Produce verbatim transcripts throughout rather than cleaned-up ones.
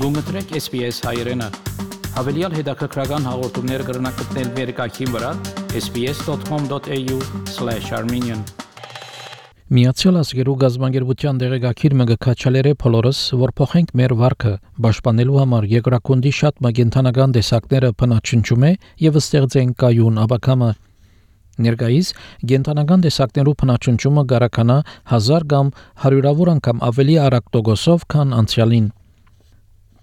Գումտրեք S B S հայերեն։ Հավելյալ հետաքրքրական հաղորդումներ կգրնակցնել վերկայքին վրա s b s dot com dot a u slash armenian Միացյալ Ազգերու գազբանգերության դեղեկագիր մգքաչալերը բոլորս որ փոխենք մեր վարքը պաշտպանելու համար երկրակոնդի շատ մագենթանական տեսակները փնաչնչում է եւ ստեղծեն կայուն աբակամը Ներկայիս գենթանական տեսակներու փնաչնչումը գարականա հազար կամ հարյուրավոր անգամ ավելի արագ տոկոսով քան անցյալին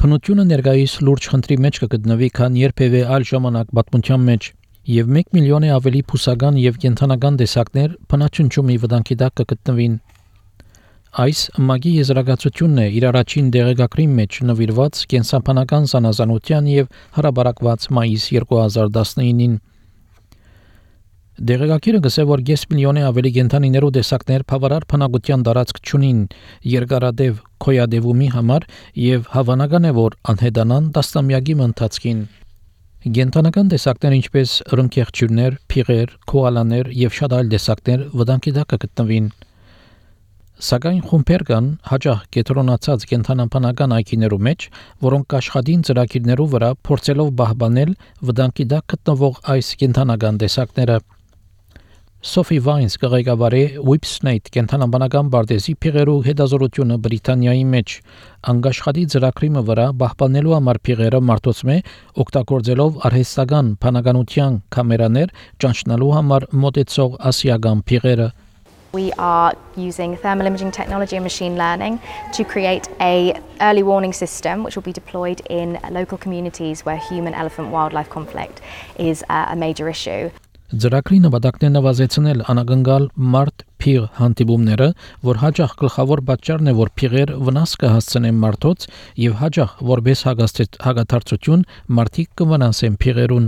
Փնությունը ներկայիս լուրջ խնդրի մեջ կգտնվի քան երբևէ այլ ժամանակ պատմության մեջ եւ մեկ միլիոն է ավելի փուսական եւ կենթանական տեսակներ փնաչնչումի վտանգի տակ կգտնվին Այս մագի եզրակացությունն է իր առաջին դեղեկագրի մեջ նվիրված կենսաբանական զանազանության եւ հարաբերակված մայիս երկու հազար տասնինին Դեղեկագիրը գսե որ կես միլիոն է ավելի կենթանիներու տեսակներ բավարար փնագության տարածք չունին երկարադեպ քոյադևումի համար եւ հավանական է որ անհետանան տասնամյակի ընթացքին Գենթանական տեսակներ ինչպես ռնկեղջյուրներ, փիղեր, քոալաներ եւ շատ այլ տեսակներ վտանգի տակ կգտնվին Սակայն խումբեր կան հաջող կետրոնացած կենթանաբանական այգիներու մեջ, որոնք կաշխատին ծրագիրներու վրա փորձելով պահպանել վտանգի տակ գտնվող այս կենթանական տեսակները Sophie Vines կղեկավարի Whipsnade կենթանաբանական բարձի փիղերու հետազոտությունը Բրիտանիայի մեջ անգաշխատի ծրագրի վրա պահպանելու համար փիղերը մարտոցմե օգտագործելով արհեստական բանականության կամերաներ ճանչնալու համար մոտեցող ասիական փիղերը We are using thermal imaging technology and machine learning to create a early warning system which will be deployed in local communities where human-elephant wildlife conflict is uh, a major issue. Ծրագրի նպատակն է նվազեցնել անագնգալ մարդ փիղ հանդիպումները, որ հաջող գլխավոր պատճառն է, որ փիղեր վնաս կհասցնեն մարդոց եւ հաջող որպես հագաթարցություն մարդիկ կվնասեն փիղերուն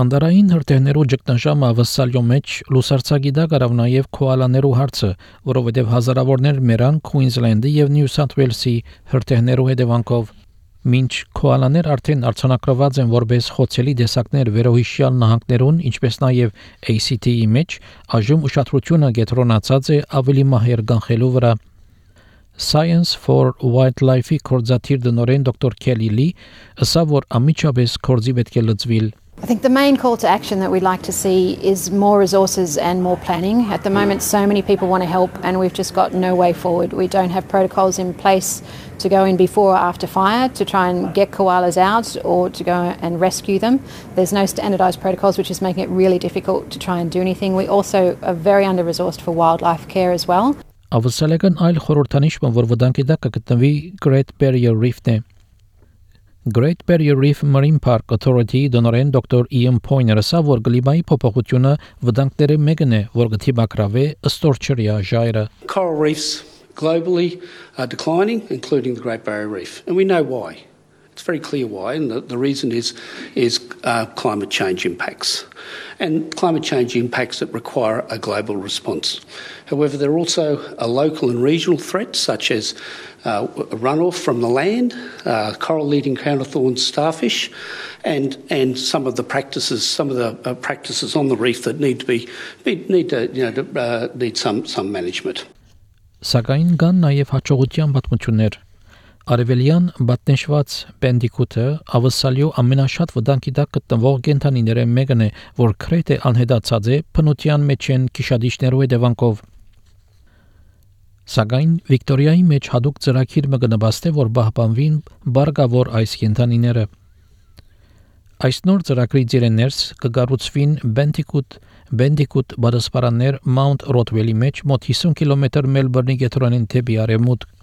Անդարային հրթիռներու ճգնաժամը ավսալյո մեջ լուսարցակի դա կարավ նաև քոալաներու հարցը, որովհետև հազարավորներ մեռան Քուինզլենդի եւ Նյու Սաութ Ուելսի հրթիռներու հետևանքով Մինչ քոալաներ արդեն արցանակրված են որպես խոցելի տեսակներ վերոհիշյալ նահանգներուն, ինչպես նաև A C T-ի մեջ, այժմ ուշադրությունը կենտրոնացած է ավելի մահեր կանխելու վրա Science for Wildlife-ի կորզաթիր դնորեն դոկտոր Քելի Լի ասա որ ամիջապես կորզի պետք է լծվիլ I think the main call to action that we'd like to see is more resources and more planning. At the moment, so many people want to help and we've just got no way forward. We don't have protocols in place to go in before or after fire to try and get koalas out or to go and rescue them. There's no standardized protocols, which is making it really difficult to try and do anything. We also are very under-resourced for wildlife care as well. Ավսալական այլ խորհրդանիշը, որ վտանգի տակ կգտնվի Great Barrier Reef-ն է Great Barrier Reef Marine Park Authority դոնորեն դոկտոր Ian Poyner-ը ասա որ գլիմայի փոփոխությունը վտանգների մեկն է, որ գտիբակրավե ստորչրիա ժայռը Coral reefs globally are declining, including the Great Barrier Reef, and we know why. It's very clear why, and the, the reason is is uh, climate change impacts, and climate change impacts that require a global response. However, there are also a local and regional threats such as uh, runoff from the land, uh, coral-eating crown of thorns starfish, and and some of the practices, some of the uh, practices on the reef that need to be need to you know to, uh, need some some management. Սակայն կան նաև հաջողության պատմություններ Արևելյան բատնեշված բենդիկուտը ավսալյո ամենաշատ վտանգի տակ գտնվող կենդանիները մեկն է, որ քրեթե անհետացած է փնության մեջ են քիշադիչներու հետևանքով։ Սակայն Վիկտորիայի մեջ հadoop ծրագիր մգնաբաստ է, որ պահպանվին բարգավոր այս կենդանիները։ Այս նոր ծրագրի ծերեներս կգառուցվին Բենտիկուտ Բենդիկուտ բադասպարաններ Mount Rothwell-ի մեջ մոտ հիսուն կիլոմետր Մելբուրնի կենտրոնին դեպի արևմուտք։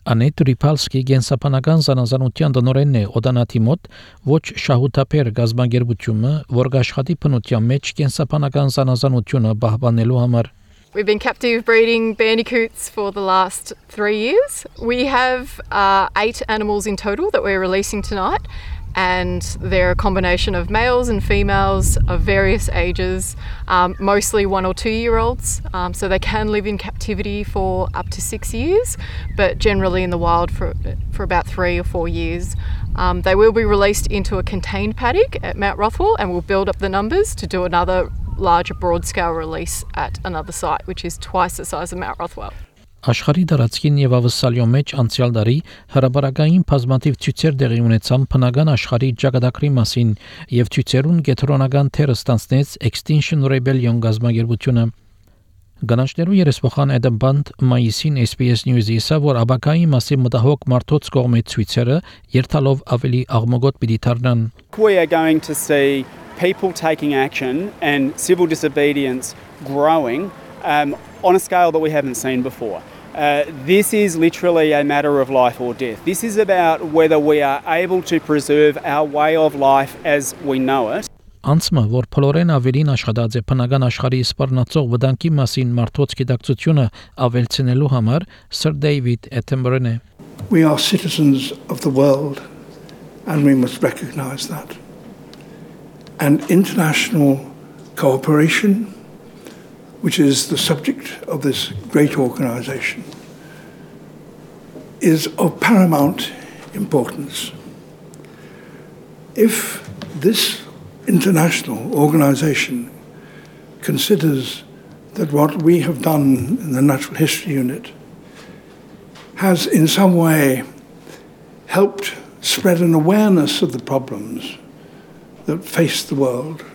Անետ Ռիփալսկի գենսաբանական զանազանության դնորենն է օդանատի մոտ ոչ շահութապեր գազբանգերությունը, որ աշխատի փնության մեջ գենսաբանական զանազանությունը պահպանելու համար We've been captive breeding bandicoots for the last three years. We have uh, eight animals in total that we're releasing tonight, and they're a combination of males and females of various ages, um, mostly one or two year olds. Um, so they can live in captivity for up to six years, but generally in the wild for, for about three or four years. Um, they will be released into a contained paddock at Mount Rothwell, and we'll build up the numbers to do another larger broad scale release at another site, which is twice the size of Mount Rothwell. Աշխարհի դարածքին եւ ավսալյո մեջ անցյալ դարի հրաբարակային բազմաթիվ ցույցեր տեղի ունեցան բնական աշխարհի ճակատագրի մասին եւ ցույցերուն կենտրոնական թերը ստանցնեց Extinction Rebellion գազագերբությունը Գանաչներու երեսփոխան Adam Band մայիսին S B S News-ի ասա որ աբակայի մասի մտահոգ մարդոց կողմից ցույցերը երթալով ավելի աղմուկոտ պիտի դառնան We are going to see people taking action and civil disobedience growing um, on a scale that we haven't seen before. Uh, this is literally a matter of life or death. This is about whether we are able to preserve our way of life as we know it. Անցմը, որ փլորեն ավելին աշխատած է բնական աշխարհի սպառնացող վտանգի մասին մարդոց գիտակցությունը ավելցնելու համար Sir David Attenborough է. We are citizens of the world and we must recognize that. And international cooperation, which is the subject of this great organization, is of paramount importance. If this international organization considers that what we have done in the Natural History Unit has in some way helped spread an awareness of the problems that face the world,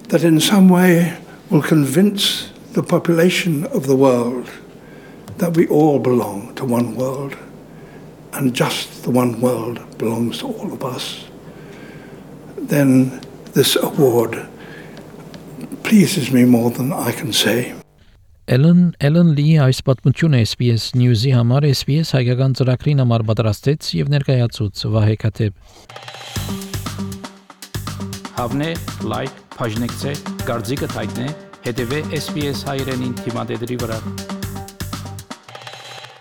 that in some way will convince the population of the world that we all belong to one world, and just the one world belongs to all of us, then this award pleases me more than I can say. Ellen Ellen Lee այս պատմությունը S B S News-ի համար S B S հայկական ծրագրին համար պատրաստեց եւ ներկայացուց Վահե Քաթեբ. Հավնե, լայք, բաժնեկցե, դարձիկը թայտնե, հետեւե S B S հայրենին թիմադեդի վրա.